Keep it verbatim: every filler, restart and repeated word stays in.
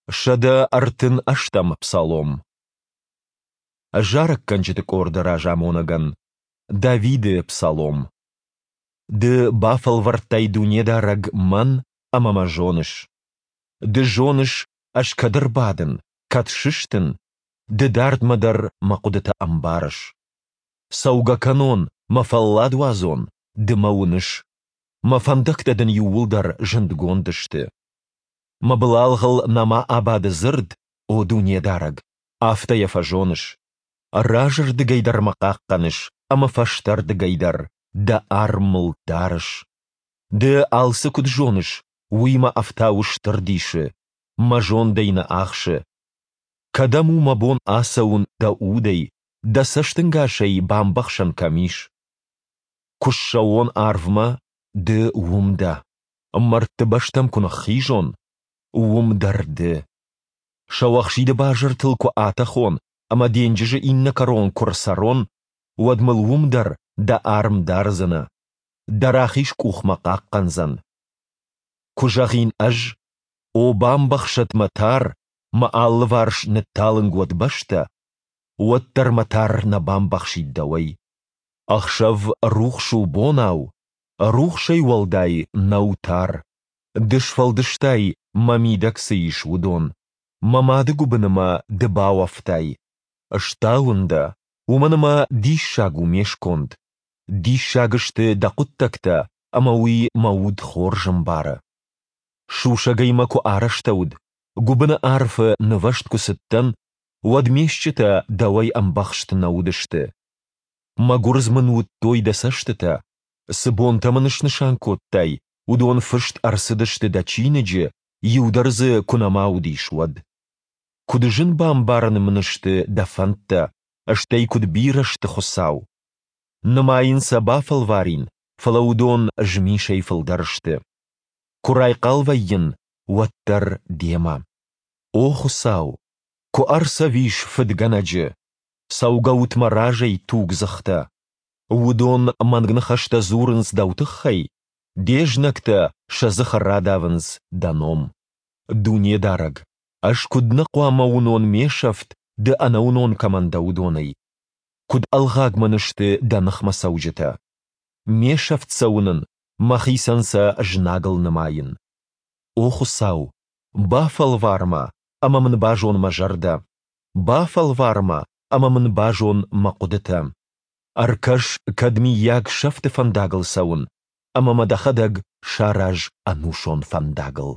Сӕдӕ ӕртын ӕстӕм псалом. Зарӕггӕнджыты къорды разамонӕгӕн. Давиды псалом. Ды бафӕлвӕрдтай, Дунедарӕг, мӕн ӕмӕ мӕ зоныс. Ды зоныс, ӕз кӕд ӕрбадын, кӕд сыстын, Ды дардмӕ дӕр мӕ хъуыдытӕ ӕмбарыс. Цӕугӕ кӕнон, мӕ фӕллад уадзон, Ды мӕ уыныс. Мӕ фӕндӕгтӕ дын иууылдӕр зындгонд сты. Мӕ былалгъыл нӕма абады дзырд, о Дунедарӕг, афтӕ йӕ фӕзоныс. Разӕрдыгӕй дӕр мӕ хъахъхъӕныс ӕмӕ фӕстӕрдыгӕй дӕр дӕ арм мыл дарыс. Ды алцы куыд зоныс, уый мӕ ӕфтауы стыр дисы, мӕ зонд ӕй нӕ ахсы. Кӕдӕм у мӕ бон ацӕуын дӕ удӕй, дӕ цӕстӕнгасӕй бамбӕхсӕн кӕм ис? Куы ссӕуон арвмӕ, ды уым дӕ. Мӕрдты бӕстӕм куы ныххизон, уым дӕр ды. Сӕуӕхсиды базыртыл куы атӕхон ӕмӕ денджызы иннӕ кӕрон куы рцӕрон, уӕд мыл уым дӕр дӕ арм дардзынӕ, дӕ рахиз къух мӕ хъахъхъӕндзӕн. Куы зӕгъин ӕз, о бамбӕхсӕд мӕ тар, мӕ алыварс нытталынг уӕд бӕстӕ, уӕддӕр мӕ тар нӕ бамбӕхсид дӕуӕй. Ӕхсӕв рухс у бонау, рухсӕй уӕлдай нӕу тар. Ды сфӕлдыстай, мӕ мидӕг цы ис, уыдон. Мӕ мады гуыбыны мӕ ды бауӕфтай. Стауын дӕ, уымӕн ӕмӕ диссаг у ме сконд. Диссаг сты дӕ хъуыддӕгтӕ, ӕмӕ уый мӕ уд хорз ӕмбары. Сусӕгӕй мӕ куы арӕзтӕуыд, гуыбыны арфы нывӕзт куы цыдтӕн, уӕд ме стджытӕ дӕуӕй ӕмбӕхст нӕ уыдысты. Мӕ гуырдз мын уыдтой дӕ цӕстытӕ. Цы бонтӕ мын снысан кодтай, уыдон фыст ӕрцыдысты дӕ чиныджы, иу дӕр дзы куы нӕма уыдис, уӕд. Куыд зын бамбарӕн мын сты дӕ фӕндтӕ, стӕй куыд бирӕ сты, Хуыцау! Нымайын сӕ бафӕлварин, фӕлӕ уыдон змисӕй фылдӕр сты. Куы райхъал вӕййын, уӕддӕр демӕ. О Хуыцау, куы ӕрцӕвис фыдгӕнӕджы! Цӕугӕут мӕ разӕй, тугдзыхтӕ! Уыдон мӕнг ныхӕстӕ дзурынц дӕу тыххӕй, де знӕгтӕ сӕ дзыхы радавынц дӕ ном. Дунедарӕг, ӕз куыд нӕ хъуамӕ уынон ме сӕфт, ды ӕнӕуынон кӕмӕн дӕ, уыдонӕй? Куыд ӕлгъаг мын сты дӕ ныхмӕ цӕуджытӕ! Ме сӕфт сӕ уынын, мӕхицӕн сӕ знагыл нымайын. О Хуыцау, бафӕлвар мӕ ӕмӕ мын базон мӕ зӕрдӕ. Бафӕлвар мӕ ӕмӕ мын базон мӕ хъуыдытӕ. Ӕркӕс, кӕд мыййаг сӕфты фӕндагыл цӕуын, ӕмӕ мӕ дӕхӕдӕг сараз ӕнусон фӕндагыл.